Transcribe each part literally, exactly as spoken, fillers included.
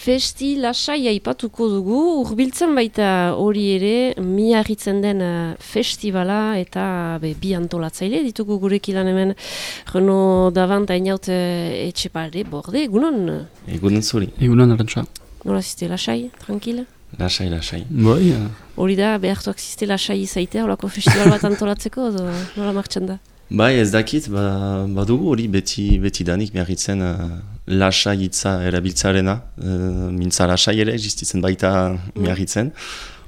Festi lasai aipatuko dugu, hurbiltzen baita hori ere, miarritzen den uh, festivala eta be, bi antolatzaile ditugu gurekilan hemen Reno Davant hainaut uh, etxepare borde, egunon? Egunon zuri. Egunon arantxa. Nola ziste, lasai, tranquil? Lasai, lasai. Bai, ja. Hori da, behartuak ziste lasai izaitea, holako festival bat antolatzeko, edo nola martxan da? Bai, ez dakit, ba, badugu hori beti, beti danik miarritzen uh, lasai hitza erabiltzarena, uh, mintza lasai ere, existitzen baita miarritzen.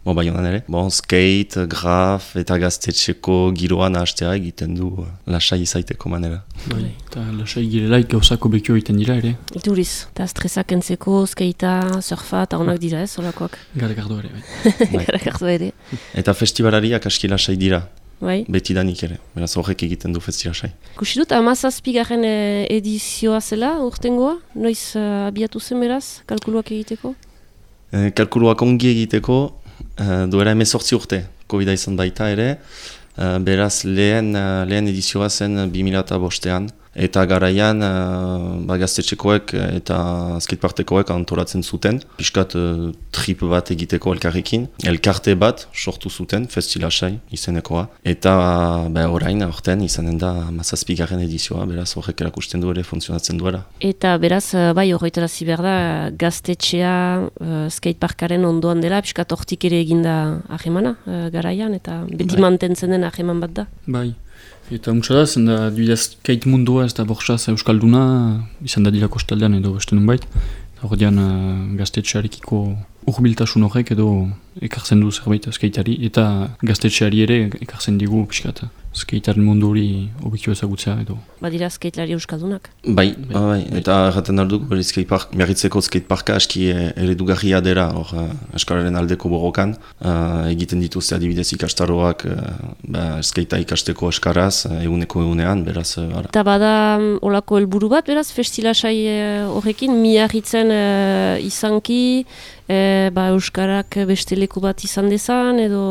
Bo, bai honan ere. Bon, skate, graf eta gaztetxeko giroan ahastea egiten du uh, lasai izaiteko manera. Bai, eta lasai girelaik gauzako bekio egiten dira ere. Ituriz, eta stresak entzeko, skatea, surfa, eta honak dira ez, holakoak. Garagardo ere, bai. Garagardo ere. Eta festivalariak aski lasai dira. Bai. Beti danik ere, beraz horrek egiten du festilasai. Kusi dut, hamazazpigarren edizioa zela, urtengoa? Noiz uh, abiatu zen beraz, kalkuluak egiteko? E, kalkuluak ongi egiteko, uh, duela emezortzi urte, Covida izan baita ere, uh, beraz lehen, uh, lehen edizioa zen bi mila bostean, eta garaian uh, ba, gaztetxekoek eta skatepartekoek antolatzen zuten, piskat uh, trip bat egiteko elkarrekin, elkarte bat sortu zuten, festilasai izenekoa, eta ba, orain aurten izanen da hamazazpigarren edizioa, beraz horrek erakusten du ere funtzionatzen duela. Eta beraz, bai horretarazi behar da, gaztetxea uh, skateparkaren ondoan dela, piskat hortik ere eginda ahemana uh, garaian, eta beti bai. Mantentzen den aheman bat da. Bai. Eta untsa da, zen da, duidaz kait mundua ez da borxaz euskalduna, izan da dira kostaldean edo beste nunbait. Hor dian uh, gaztetxearekiko urbiltasun horrek edo ekartzen du zerbait skateari, eta gaztetxeari ere ekartzen digu pixkat skatearen mundu hori obikio ezagutzea edo. Badira skatelari euskaldunak? Bai, bai, bai. Eta erraten alduk, skatepark, miarritzeko skateparka aski eredugarria dela, hor uh, eskalaren aldeko borrokan, uh, egiten dituzte adibidez ikastaroak uh, ba, skatea ikasteko eskaraz, uh, eguneko egunean, beraz. Uh, eta bada um, olako helburu bat, beraz, festilasai horrekin, uh, miarritzen uh, izanki, E, ba, euskarak beste leku bat izan dezan, edo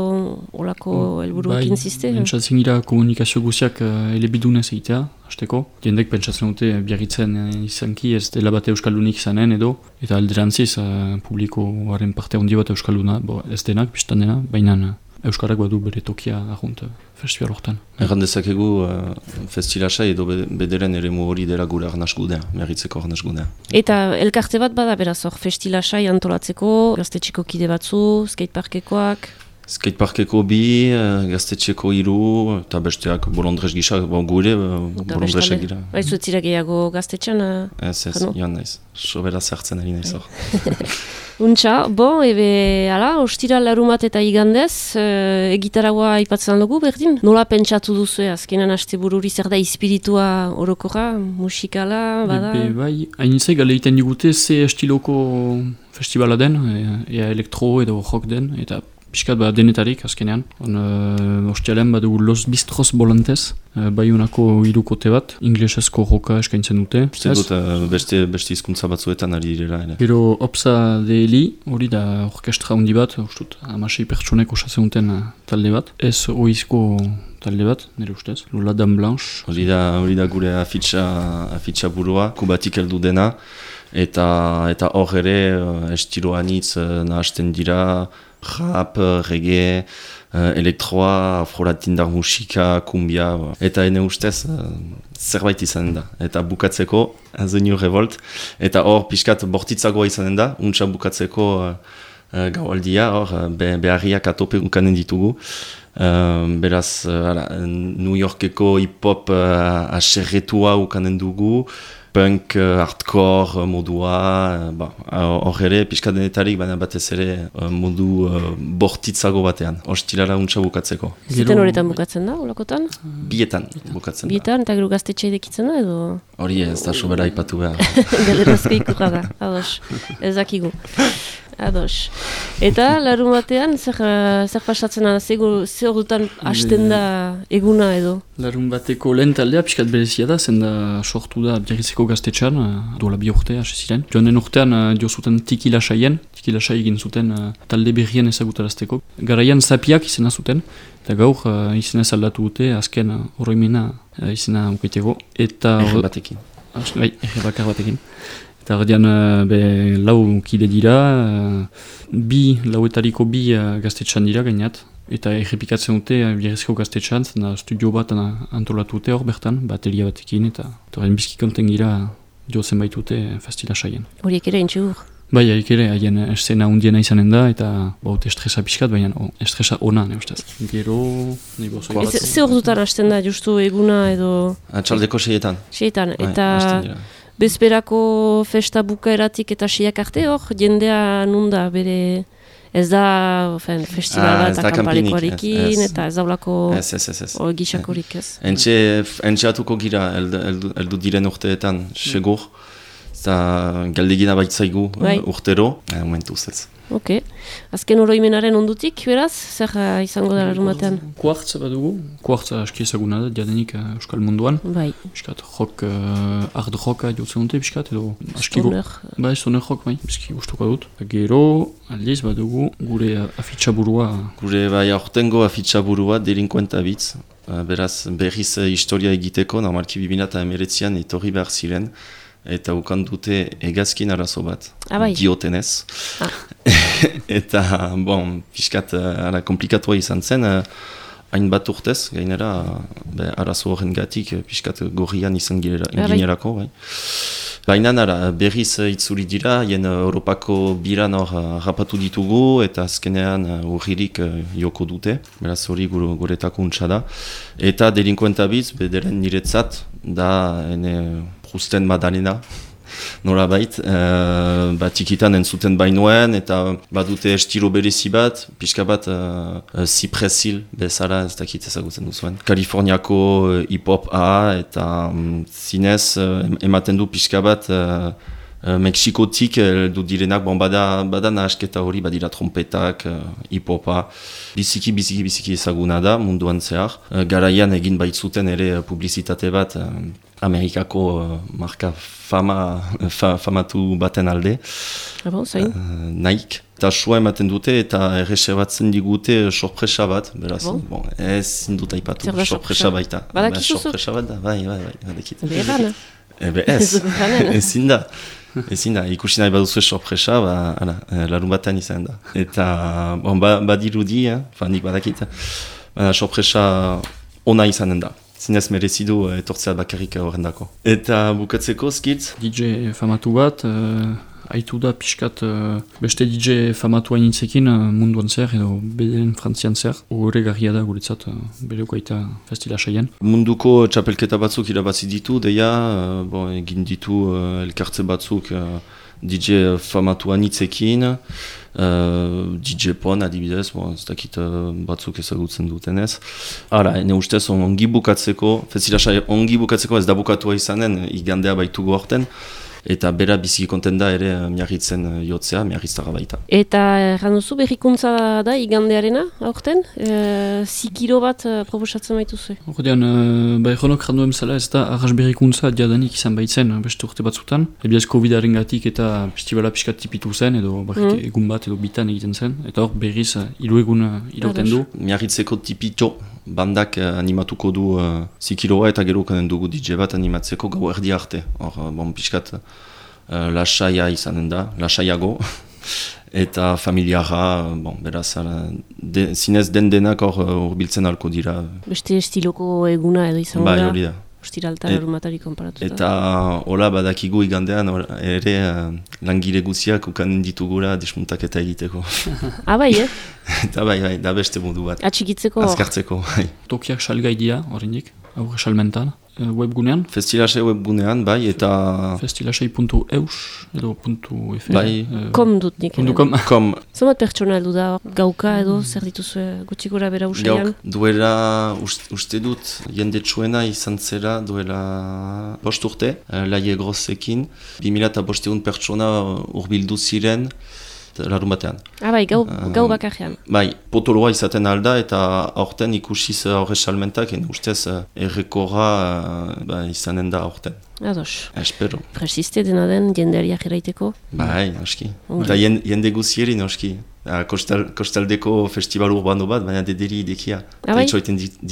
olako helburuekin bai, ziste? Pentsatzen gira komunikazio guziak uh, elebidunez egitea, hasteko. Jendek pentsatzen dute biarritzen uh, izanki ez dela bat euskaldunik izanen edo, eta alderantziz uh, publikoaren parte handi bat euskalduna, bo, ez denak, biztan dena, baina uh, euskarak badu bere tokia ahunt uh, festival hortan. Erran dezakegu uh, festilasai edo bederen ere hori dela gure arnasgudea, miarritzeko arnasgudea. Eta elkarte bat bada beraz hor, festilasai antolatzeko, gaztetxeko kide batzu, skateparkekoak? Skateparkeko bi, uh, gaztetxeko hiru, eta besteak bolondrez gisa, bon, gure uh, bolondrezak gira. Baizu ez zira gehiago gaztetxan? Uh, ez, ez, joan naiz. Sobera zertzen ari naiz hor. Untxa, bon, ebe, ala, ostira larumat eta igandez, e, egitaragua aipatzen dugu, berdin? Nola pentsatu duzu, azkenan haste bururi zer da espiritua orokorra, musikala, bada? Ebe, bai, hainizai gale egiten digute ze estiloko festivala den, ea elektro edo rock den, eta piskat ba denetarik azkenean. On, uh, ostialean badugu Los Bistros Bolantez, uh, bai honako hirukote bat, inglesezko roka eskaintzen dute. Uste dut uh, beste, beste hizkuntza batzuetan ari direla. Ere. Gero Opsa de Eli, hori da orkestra handi bat, ustut, amasei pertsonek osatzen duten uh, talde bat. Ez oizko talde bat, nire ustez, Lola Dame Blanche. Hori da, hori da gure afitxa, afitxa burua, kubatik heldu dena, eta eta hor ere uh, estilo anitz uh, nahasten dira, rap, reggae, uh, elektroa, afro-latindar musika, kumbia, eta ene ustez uh, zerbait izanen da. Eta bukatzeko, The New Revolt, eta hor pixkat bortitzagoa izanen da, untsa bukatzeko uh, uh, gaualdia, hor be, beharriak atope ukanen ditugu. Uh, beraz, uh, ala, New Yorkeko hip-hop uh, aserretua ukanen dugu, punk, uh, hardcore uh, modua, hor uh, ere, pixka denetarik, baina batez ere uh, modu uh, bortitzago batean, hostilara untsa bukatzeko. Ziten horretan bukatzen da, olakotan? Bietan bukatzen Bietan, da. Bietan, eta gero gaztetxe edekitzen da, edo? Hori ez da sobera ipatu behar. Galerazko ikurra da, ados, ezakigu. Ados. Eta larun batean, zer, zer pasatzen da, zer dutan hasten da eguna edo? Larun bateko lehen taldea pixkat berezia da, zen da sortu da biarritzeko gaztetxean, duela bi urte hasi ziren. Joan den urtean dio zuten tiki lasaien, tiki lasai egin zuten talde berrien ezagutarazteko. Garaian zapiak izena zuten, eta gaur izena aldatu dute, azken oroimena izena ukaiteko. Eta Erre batekin. Bai, erre bakar batekin. Eta hor dian, be, lau kide dira, bi, lauetariko bi gaztetxan dira gainat. Eta errepikatzen dute Biarrizko gaztetxan, da studio bat antolatu dute hor bertan, bateria batekin, eta horren bizki konten gira jozen baitute festila saien. Horiek ere intxur? Bai, haik ere, haien eszena hundiena izanen da, eta baut estresa pixkat, baina oh, estresa ona, ne ustez. Gero, nahi bozo. Ze hor dutan hasten da, justu eguna edo... Atxaldeko seietan. Seietan, eta bezperako festa bukaeratik eta seiak arte hor, jendea nunda bere... Ez da fen, festivala ah, eta kanpalikoarekin, eta ez daulako gisakorik ez. Entxe atuko gira, eldu, eldu diren urteetan, segur. Eta galdegina baitzaigu uh, urtero, eh, momentuz ez. Ok. Azken oroimenaren ondutik, beraz, zer uh, izango da larumatean? Kuartza bat dugu. Kuartza aski ezaguna da, diadenik uh, Euskal Munduan. Bai. Piskat, rock, uh, hard rocka jotzen dute, piskat, edo... Stoner. Bai, stoner rock, bai, biski gustuko dut. Gero, aldiz bat dugu, gure afitxaburua... Gure bai aurtengo afitxaburua, delinkuenta bitz. Uh, beraz, berriz uh, historia egiteko, normalki bibina eta emeretzian etorri behar ziren. Eta ukan dute egazkin arazo bat, ah, bai. Diotenez. Ah. Eta, bon, pixkat, ara, komplikatua izan zen, hain bat urtez, gainera, be, arazo horren gatik, pixkat gorrian izan ginerako. Bai. Baina nara, berriz itzuli dira, hien Europako biran hor rapatu ditugu, eta azkenean urririk joko dute, beraz hori guretako untsa da. Eta delinkuenta bitz, bederen niretzat, da, ene, Rusten Madalena, nola bait, uh, bat tikitan entzuten bainoen, eta badute estilo berezi bat, pixka bat uh, uh, Cypress-Hill bezala, ez dakit ezagutzen duzuen. Kaliforniako uh, hip-hop-a, eta um, zinez uh, ematen du pixka bat uh, uh, Mexikotik heldu direnak, bon, bada, bada nahasketa hori, badira trompetak, uh, hip-hopa, biziki, biziki, biziki ezaguna da munduan zehar. Uh, garaian egin baitzuten ere uh, publizitate bat, uh, Amerikako uh, marka fama, fa, famatu baten alde. Ah bon, zain? Uh, Nike. Eta sua ematen dute eta erreserbatzen digute sorpresa bat. Beraz, bon. Bon, ez indut aipatu, sorpresa baita. Badakizu zut? Sorpresa bat da, bai, bai, bai, badakit. Beheran? Ebe ez, ezin da. Ezin da, ikusi nahi baduzu sorpresa, ba, ala, larun batean izan da. Eta, bon, ba, badirudi, eh? Fa, nik badakit. Ba, sorpresa ona izanen da. Zinez merezidu etortzea bakarrik horrendako. Eta bukatzeko, skitz? D J famatu bat, uh, haitu da pixkat uh, beste D J famatu hainitzekin uh, munduan zer, edo bederen frantzian zer. Ogore garria da guretzat, uh, bereuko aita festila saien. Munduko txapelketa batzuk irabazi ditu, deia, uh, bon, egin ditu uh, elkartze batzuk uh, D J famatu hainitzekin. Uh, D J Pon adibidez, bon, ez dakit uh, batzuk ezagutzen dutenez. Hala, ene ustez ongi bukatzeko, festila saia ongi bukatzeko ez da bukatua izanen, igandea baitugu horten. Eta bera biziki konten da ere miarritzen jotzea, miarriztara baita. Eta erran duzu berrikuntza da igandearena aurten? E, zikiro bat proposatzen baituzu? Horrean, e, ba erronok randuen zela ez da arras berrikuntza diadanik izan baitzen beste urte batzutan. Ebiaz COVID-aren gatik eta festivala pixkat tipitu zen, edo barrik mm. egun bat edo bitan egiten zen. Eta hor berriz hiru egun irauten du. Miarritzeko tipito bandak animatuko du uh, zikiroa eta gero kanen dugu D J bat animatzeko gau erdi arte. Hor, bon, pixkat uh, lasaia izanen da, lasaiago. Eta familiara, bon, beraz, de, zinez den denak hor urbiltzen halko dira. Beste estiloko eguna edo izango da. Bai, hori da. Ostiraltan et, arumatari konparatuta. Eta hola badakigu igandean or, ere uh, langile guziak ukanen ditugura desmuntaketa egiteko. Ah, bai, eh? Eta bai, bai, da beste modu bat. Atxikitzeko? Azkartzeko, bai. Tokiak salgai dira, horrendik, aurre salmentan. Webgunean? Festilase webgunean, bai, eta... Festilase puntu eus edo puntu efe. Bai. Uh, kom dut nik. Puntu kom. Kom. Zomat pertsona heldu da, gauka edo zer dituzu gutxi gora bera usaian? Gauk, duela, uste, uste dut, jende txuena izan zera duela bost urte, uh, laie grosekin. bi mila bosteun pertsona urbildu ziren, larun batean. Ah, bai, gau, uh, gau bakarrean. Bai, potoloa izaten alda eta aurten ikusiz horre salmentak, en ustez errekorra uh, ba, izanen da aurten. Ados. Espero. Presiste dena den jendeariak eraiteko? Bai, noski. Eta jende guzieri noski. Uh, kostal, kostaldeko festival urbano bat, baina dederi idekia. Ah, bai?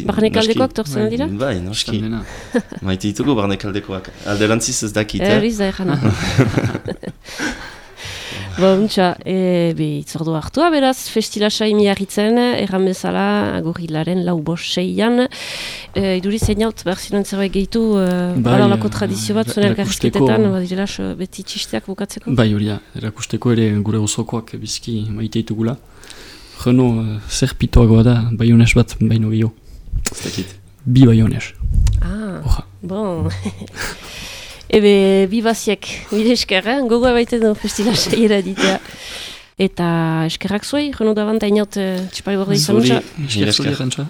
Barnekaldekoak torzen dira? Bai, noski. Kostaldena. Maite ditugu barnekaldekoak. Alderantziz ez dakit, eh? Erriz da ezana. Bo, untxa, e, be, itzordu hartua, beraz, festilasai miarritzen, erran bezala, gorilaren lau bos seian. E, iduri zein haut, behar ziren zerbait gehitu, e, Bai, balalako tradizio bat, eh, zuen erakusteko- elkarrizketetan, badirela, beti txisteak bukatzeko? Bai hori da, erakusteko ere gure osokoak bizki maite ditugula. Jeno, uh, zer pitoagoa da, baiones bat baino gehiago. Ez dakit. Bi baiones. Ah, Oja. bon. Ebe, bi baziek, bide eskerra, gogoa baiten du festilasaiera ditea. Eta eskerrak zuei, jeno da banta inaut, txipari borde izan Zuri, dutxa. esker zuri esker. errantza.